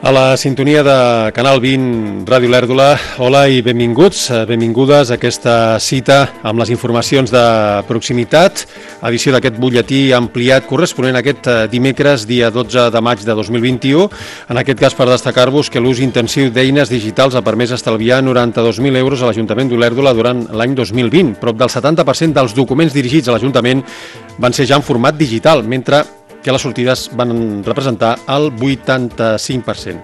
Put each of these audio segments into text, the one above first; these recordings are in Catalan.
A la sintonia de Canal 20, Ràdio Lèrdula, hola i benvinguts, benvingudes a aquesta cita amb les informacions de proximitat, edició d'aquest butlletí ampliat corresponent a aquest dimecres, dia 12 de maig de 2021. En aquest cas, per destacar-vos que l'ús intensiu d'eines digitals ha permès estalviar 92.000 euros a l'Ajuntament d'Olèrdola durant l'any 2020. Prop del 70% dels documents dirigits a l'Ajuntament van ser ja en format digital, mentre que les sortides van representar el 85%.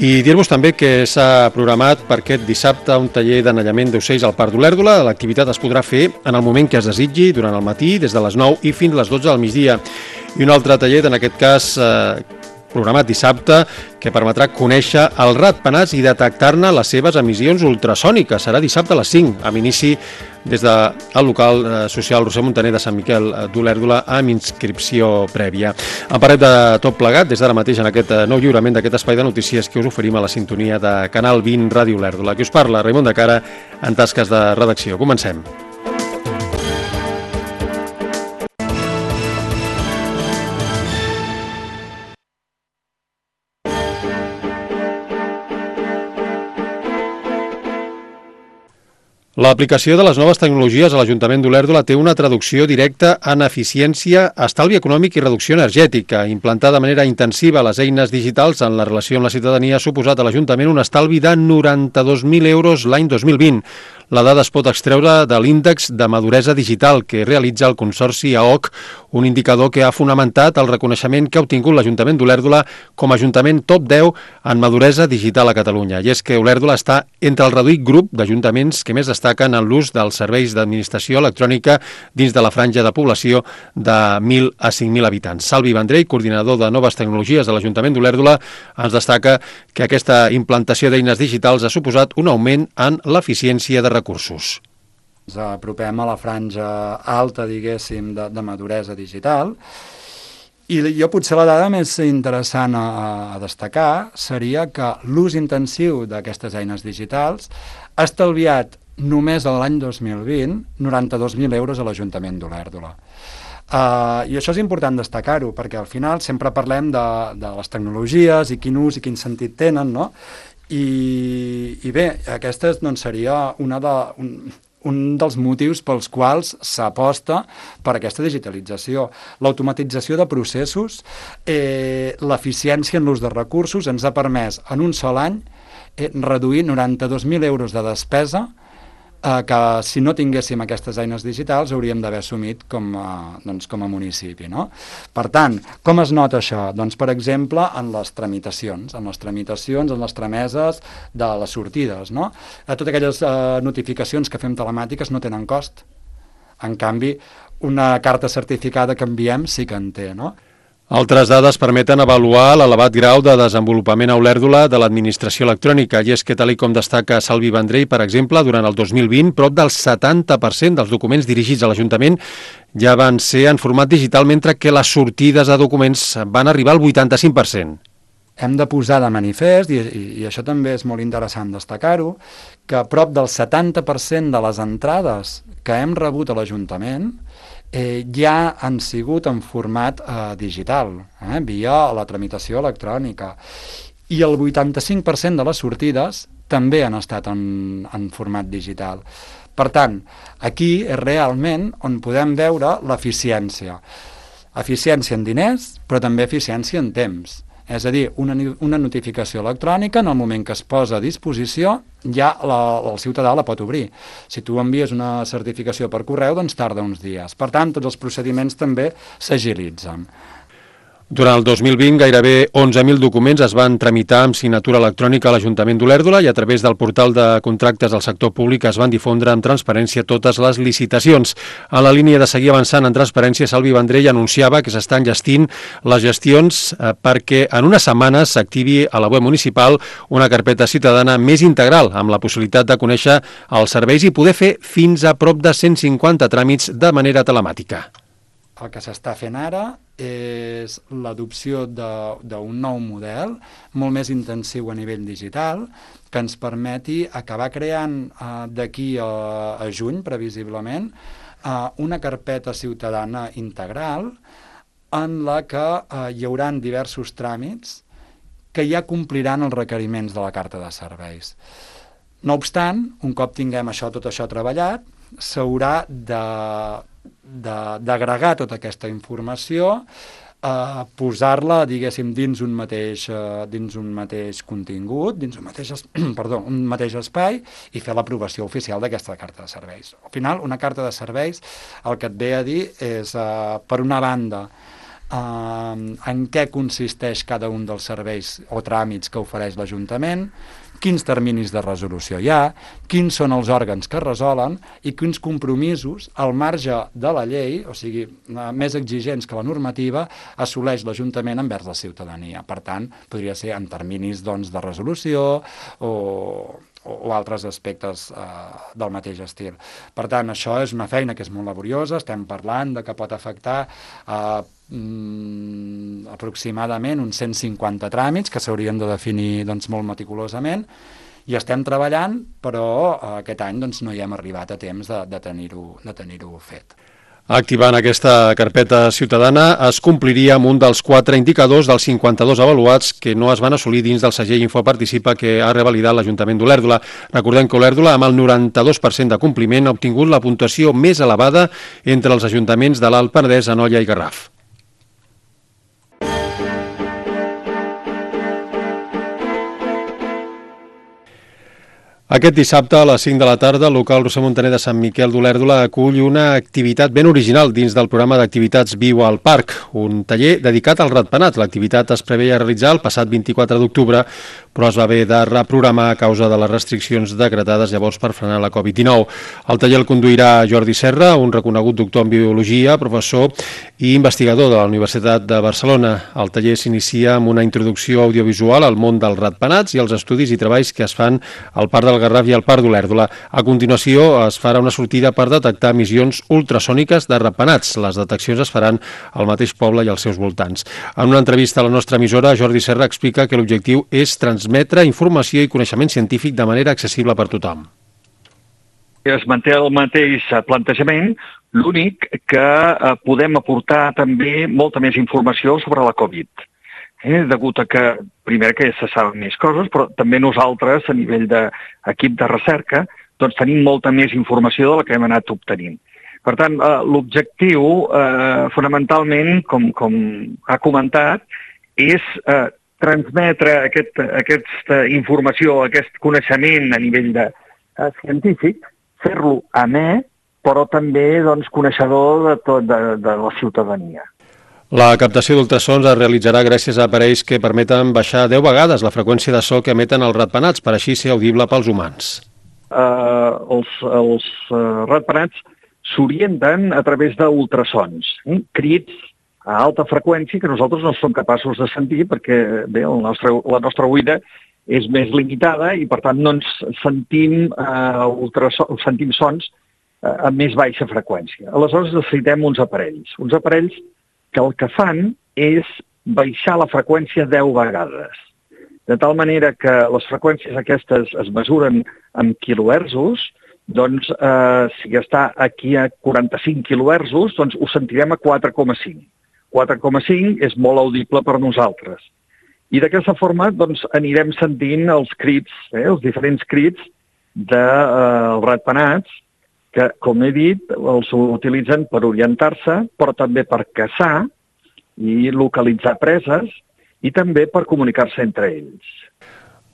I dir-vos també que s'ha programat per aquest dissabte un taller d'anellament d'ocells al Parc d'Olèrdola. L'activitat es podrà fer en el moment que es desitgi, durant el matí, des de les 9 i fins a les 12 del migdia. I un altre taller, en aquest cas programat dissabte, que permetrà conèixer els ratpenats i detectar-ne les seves emissions ultrasòniques. Serà dissabte a les 5, amb inici des del local social Roser Montaner de Sant Miquel d'Olèrdola, amb inscripció prèvia. En parlem de tot plegat des d'ara mateix en aquest nou lliurament d'aquest espai de notícies que us oferim a la sintonia de Canal 20 Ràdio Olèrdola. Qui us parla, Raimon de Cara, en tasques de redacció. Comencem. L'aplicació de les noves tecnologies a l'Ajuntament d'Olèrdola té una traducció directa en eficiència, estalvi econòmic i reducció energètica. Implantar de manera intensiva les eines digitals en la relació amb la ciutadania ha suposat a l'Ajuntament un estalvi de 92.000 euros l'any 2020. La dada es pot extreure de l'índex de maduresa digital que realitza el Consorci AOC, un indicador que ha fonamentat el reconeixement que ha obtingut l'Ajuntament d'Olèrdola com a Ajuntament top 10 en maduresa digital a Catalunya. I és que Olèrdola està entre el reduït grup d'ajuntaments que més destaquen en l'ús dels serveis d'administració electrònica dins de la franja de població de 1.000 a 5.000 habitants. Salvi Vendrell, coordinador de noves tecnologies de l'Ajuntament d'Olèrdola, ens destaca que aquesta implantació d'eines digitals ha suposat un augment en l'eficiència de recursos. Ens apropem a la franja alta, diguéssim, de maduresa digital, i jo potser la dada més interessant a destacar seria que l'ús intensiu d'aquestes eines digitals ha estalviat només l'any 2020 92.000 euros a l'Ajuntament d'Olèrdola. I això és important destacar-ho, perquè al final sempre parlem de les tecnologies i quin ús i quin sentit tenen, no? I bé, aquesta doncs, seria un dels motius pels quals s'aposta per aquesta digitalització. L'automatització de processos, l'eficiència en l'ús de recursos ens ha permès en un sol any reduir 92.000 euros de despesa que si no tinguéssim aquestes eines digitals hauríem d'haver assumit com a municipi, no? Per tant, com es nota això? Doncs, per exemple, en les tramitacions, en les trameses de les sortides, no? Totes aquelles notificacions que fem telemàtiques no tenen cost. En canvi, una carta certificada que enviem sí que en té, no? Altres dades permeten avaluar l'elevat grau de desenvolupament a Olèrdola de l'administració electrònica, i és que, tal com destaca Salvi Vendrell, per exemple, durant el 2020, prop del 70% dels documents dirigits a l'Ajuntament ja van ser en format digital, mentre que les sortides de documents van arribar al 85%. Hem de posar de manifest, i això també és molt interessant destacar-ho, que prop del 70% de les entrades que hem rebut a l'Ajuntament ja han sigut en format digital, via la tramitació electrònica. I el 85% de les sortides també han estat en format digital. Per tant, aquí és realment on podem veure l'eficiència. Eficiència en diners, però també eficiència en temps. És a dir, una notificació electrònica, en el moment que es posa a disposició, ja el ciutadà la pot obrir. Si tu envies una certificació per correu, doncs tarda uns dies. Per tant, tots els procediments també s'agilitzen. Durant el 2020, gairebé 11.000 documents es van tramitar amb signatura electrònica a l'Ajuntament d'Olèrdola i a través del portal de contractes del sector públic es van difondre amb transparència totes les licitacions. En la línia de seguir avançant en transparència, Salvi Vendrell anunciava que s'estan gestint les gestions perquè en unes setmanes s'activi a la web municipal una carpeta ciutadana més integral, amb la possibilitat de conèixer els serveis i poder fer fins a prop de 150 tràmits de manera telemàtica. El que s'està fent ara és l'adopció d'un nou model molt més intensiu a nivell digital que ens permeti acabar creant d'aquí a juny, previsiblement, una carpeta ciutadana integral en la que hi haurà diversos tràmits que ja compliran els requeriments de la carta de serveis. No obstant, un cop tinguem tot això treballat, s'haurà d'agregar tota aquesta informació, posar-la, diguéssim, dins un mateix contingut, dins un mateix espai, i fer l'aprovació oficial d'aquesta carta de serveis. Al final, una carta de serveis el que et ve a dir és, per una banda, en què consisteix cada un dels serveis o tràmits que ofereix l'Ajuntament, quins terminis de resolució hi ha, quins són els òrgans que resolen i quins compromisos, al marge de la llei, o sigui, més exigents que la normativa, assoleix l'Ajuntament envers la ciutadania. Per tant, podria ser en terminis de resolució o altres aspectes del mateix estil. Per tant, això és una feina que és molt laboriosa, estem parlant de que pot afectar aproximadament uns 150 tràmits que s'haurien de definir molt meticulosament, i estem treballant, però aquest any no hi hem arribat a temps de tenir-ho fet. Activant aquesta carpeta ciutadana es compliria amb un dels 4 indicadors dels 52 avaluats que no es van assolir dins del segell Infoparticipa que ha revalidat l'Ajuntament d'Olèrdola. Recordem que Olèrdola, amb el 92% de compliment, ha obtingut la puntuació més elevada entre els ajuntaments de l'Alt Penedès, Anoia i Garraf. Aquest dissabte a les 5 de la tarda el local Roser Montaner de Sant Miquel d'Olèrdola acull una activitat ben original dins del programa d'activitats Viu al Parc, un taller dedicat al ratpenat. L'activitat es preveia realitzar el passat 24 d'octubre, però es va haver de reprogramar a causa de les restriccions decretades llavors per frenar la Covid-19. El taller el conduirà Jordi Serra, un reconegut doctor en biologia, professor i investigador de la Universitat de Barcelona. El taller s'inicia amb una introducció audiovisual al món dels ratpenats i els estudis i treballs que es fan al Parc del Garraf i al Parc d'Olèrdola. A continuació es farà una sortida per detectar emissions ultrasòniques de ratpenats. Les deteccions es faran al mateix poble i als seus voltants. En una entrevista a la nostra emissora, Jordi Serra explica que l'objectiu és transmetre informació i coneixement científic de manera accessible per tothom. Es manté el mateix plantejament, l'únic que podem aportar també molta més informació sobre la Covid. Degut a que, primer, que se saben més coses, però també nosaltres, a nivell d'equip de recerca, tenim molta més informació de la que hem anat obtenint. Per tant, l'objectiu, fonamentalment, com ha comentat, és transmetre aquesta informació, aquest coneixement a nivell científic, fer-lo amè, però també coneixedor de la ciutadania. La captació d'ultrasons es realitzarà gràcies a aparells que permeten baixar 10 vegades la freqüència de so que emeten els ratpenats, per així ser audible pels humans. Els ratpenats s'orienten a través d'ultrasons, crits a alta freqüència que nosaltres no som capaços de sentir perquè la nostra oïda és més limitada i per tant no ens sentim sons amb més baixa freqüència. Aleshores necessitem uns aparells que el que fan és baixar la freqüència 10 vegades. De tal manera que les freqüències aquestes es mesuren amb quilohertzos, si està aquí a 45 quilohertzos, ho sentirem a 4,5. 4,5 és molt audible per nosaltres. I d'aquesta forma anirem sentint els crits, els diferents crits dels ratpenats, que, com he dit, els utilitzen per orientar-se, però també per caçar i localitzar preses i també per comunicar-se entre ells.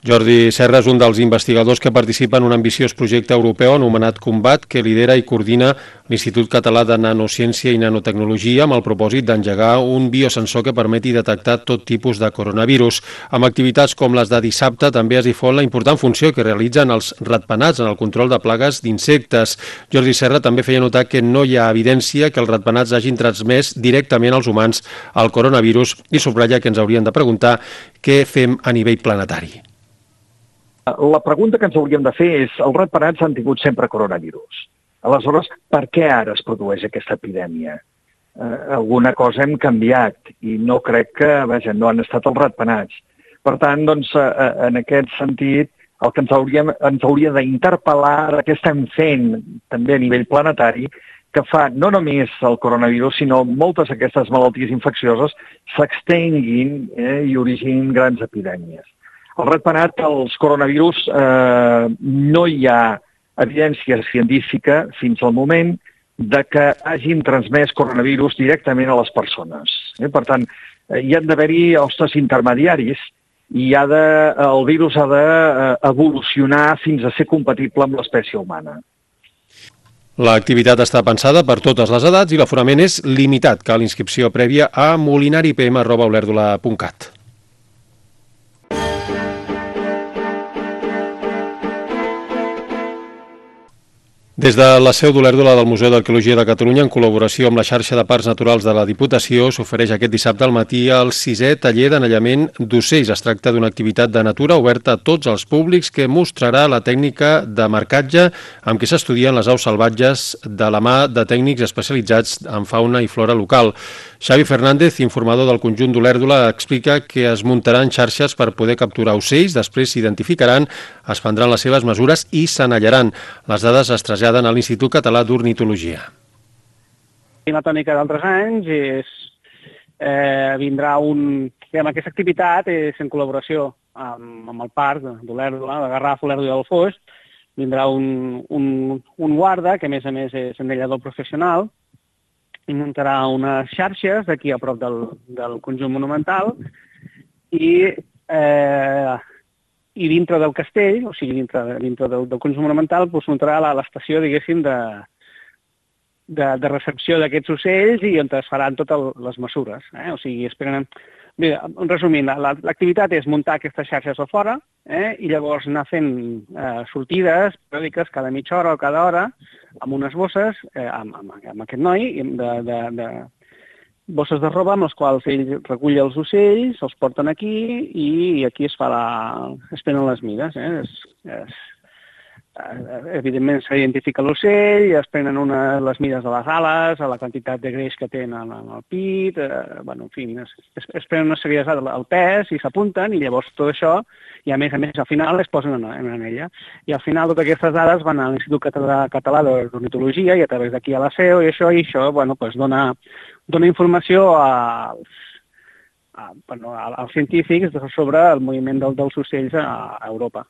Jordi Serra és un dels investigadors que participa en un ambiciós projecte europeu anomenat Combat, que lidera i coordina l'Institut Català de Nanociència i Nanotecnologia amb el propòsit d'engegar un biosensor que permeti detectar tot tipus de coronavirus. Amb activitats com les de dissabte també es difon la important funció que realitzen els ratpenats en el control de plagues d'insectes. Jordi Serra també feia notar que no hi ha evidència que els ratpenats hagin transmès directament als humans el coronavirus i subratlla que ens haurien de preguntar què fem a nivell planetari. La pregunta que ens hauríem de fer és els ratpenats han tingut sempre coronavirus. Aleshores, per què ara es produeix aquesta epidèmia? Alguna cosa hem canviat i no crec que, no han estat els ratpenats. Per tant, en aquest sentit, el que ens hauria d'interpel·lar, què estem fent també a nivell planetari, que fa no només el coronavirus, sinó moltes d'aquestes malalties infeccioses s'extenguin i originin grans epidèmies. El ratpenat, els coronavirus, no hi ha evidència científica fins al moment de que hagin transmès coronavirus directament a les persones. Per tant, hi han d'haver-hi hostes intermediaris i el virus ha d'evolucionar fins a ser compatible amb l'espècie humana. L'activitat està pensada per totes les edats i l'aforament és limitat. Cal inscripció prèvia a molinaripm@olerdula.cat. Des de la seu d'Olèrdola del Museu d'Arqueologia de Catalunya, en col·laboració amb la xarxa de parcs naturals de la Diputació, s'ofereix aquest dissabte al matí el 6è taller d'anellament d'ocells. Es tracta d'una activitat de natura oberta a tots els públics que mostrarà la tècnica de marcatge amb què s'estudien les aus salvatges de la mà de tècnics especialitzats en fauna i flora local. Xavi Fernández, informador del conjunt d'Olèrdola, explica que es muntaran xarxes per poder capturar ocells, després s'identificaran, es prendran les seves mesures i s'anellaran. Les dades es traslladen a l'Institut Català d'Ornitologia. La tònica d'altres anys vindrà aquesta activitat és en col·laboració amb el parc d'Olèrdola, de Garraf, Olèrdola i del Foix. Vindrà un guarda, que a més és anellador professional, i muntarà unes xarxes aquí a prop del conjunt monumental i dintre del castell, o sigui, dintre del conjunt monumental, muntarà l'estació, diguéssim, de recepció d'aquests ocells i on es faran totes les mesures. O sigui, esperen... Bé, resumint, l'activitat és muntar aquestes xarxes a fora i llavors anar fent sortides periòdiques cada mitja hora o cada hora amb unes bosses, amb aquest noi, de bosses de roba amb les quals ell recull els ocells, els porten aquí i aquí es prenen les mides. Evidentment s'identifica l'ocell, es prenen les mides de les ales, la quantitat de greix que tenen en el pit, en fi, es prenen una sèrie de dades al pes i s'apunten i llavors tot això, i a més al final es posen en anella. I al final totes aquestes dades van a l'Institut Català d'Ornitologia i a través d'aquí a la seu i això dona informació als científics sobre el moviment dels ocells a Europa.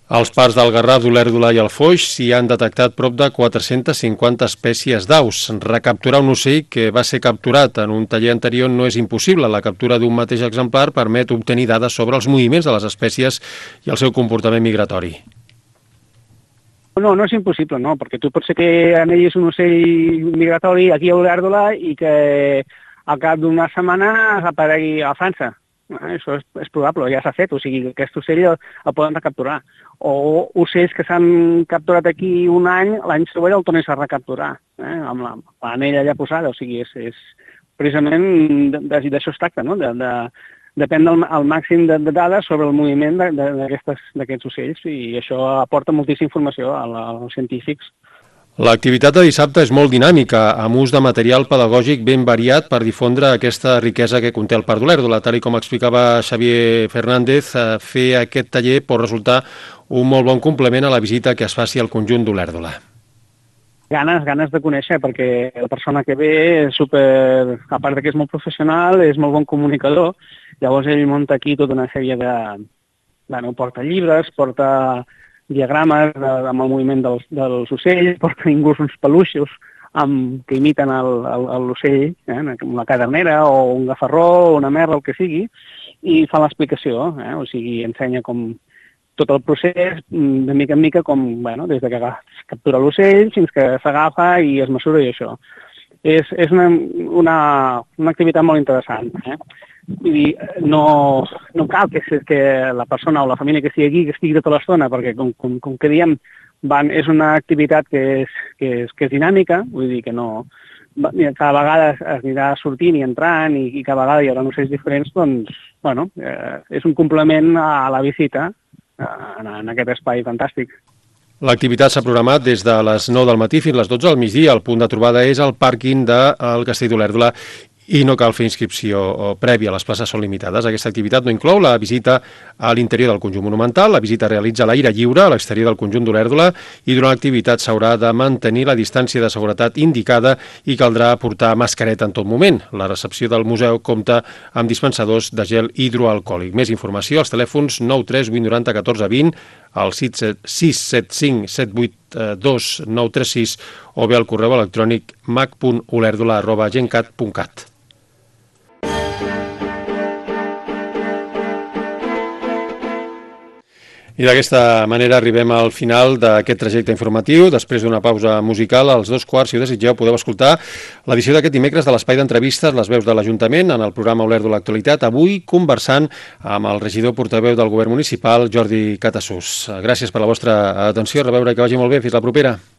Als parcs del Garraf, d'Olèrdola i el Foix s'hi han detectat prop de 450 espècies d'aus. Recapturar un ocell que va ser capturat en un taller anterior no és impossible. La captura d'un mateix exemplar permet obtenir dades sobre els moviments de les espècies i el seu comportament migratori. No és impossible, no, perquè tu pots ser que anellis un ocell migratori aquí a Olèrdola i que al cap d'una setmana aparegui a França. Això és probable, ja s'ha fet, o sigui, aquest ocell el poden recapturar. O ocells que s'han capturat aquí un any, l'any següent el tornes a recapturar, amb l'anella ja posada, o sigui, és precisament d'això es tracta, no? Depèn del màxim de dades sobre el moviment d'aquests ocells i això aporta moltíssima informació als científics. L'activitat de dissabte és molt dinàmica, amb ús de material pedagògic ben variat per difondre aquesta riquesa que conté el Parc d'Olèrdola. Tal com explicava Xavier Fernández, fer aquest taller pot resultar un molt bon complement a la visita que es faci al conjunt d'Olèrdola. Ganes de conèixer, perquè la persona que ve és a part que és molt professional, és molt bon comunicador. Llavors ell munta aquí tota una sèrie porta llibres, porta diagrames amb el moviment dels ocells, porten inclús uns peluixos que imiten l'ocell, una cadernera o un gafarró o una merla, el que sigui, i fa l'explicació, o sigui, ensenya com tot el procés, de mica en mica, des de que es captura l'ocell fins que s'agafa i es mesura i això. És una activitat molt interessant. Vull dir, no cal que la persona o la família que estigui aquí que estigui tota l'estona, perquè com que diem, és una activitat que és dinàmica, vull dir que no... Cada vegada es anirà sortint i entrant i cada vegada hi haurà ocells diferents, doncs, és un complement a la visita en aquest espai fantàstic. L'activitat s'ha programat des de les 9 del matí fins a les 12 del migdia. El punt de trobada és el pàrquing del Castell d'Olèrdola i no cal fer inscripció prèvia, les places són limitades. Aquesta activitat no inclou la visita a l'interior del conjunt monumental, la visita realitza a l'aire lliure a l'exterior del conjunt d'Olèrdola i durant l'activitat s'haurà de mantenir la distància de seguretat indicada i caldrà portar mascareta en tot moment. La recepció del museu compta amb dispensadors de gel hidroalcohòlic. Més informació als telèfons 93 890 14 20, al 675 782 936 o bé al correu electrònic mac.olèrdola@gencat.cat. I d'aquesta manera arribem al final d'aquest trajecte informatiu. Després d'una pausa musical, als 2:15, si ho desitgeu, podeu escoltar l'edició d'aquest dimecres de l'espai d'entrevistes Les veus de l'Ajuntament en el programa Olèrdola Actualitat, avui conversant amb el regidor portaveu del Govern Municipal, Jordi Catasús. Gràcies per la vostra atenció, a reveure, que vagi molt bé, fins la propera.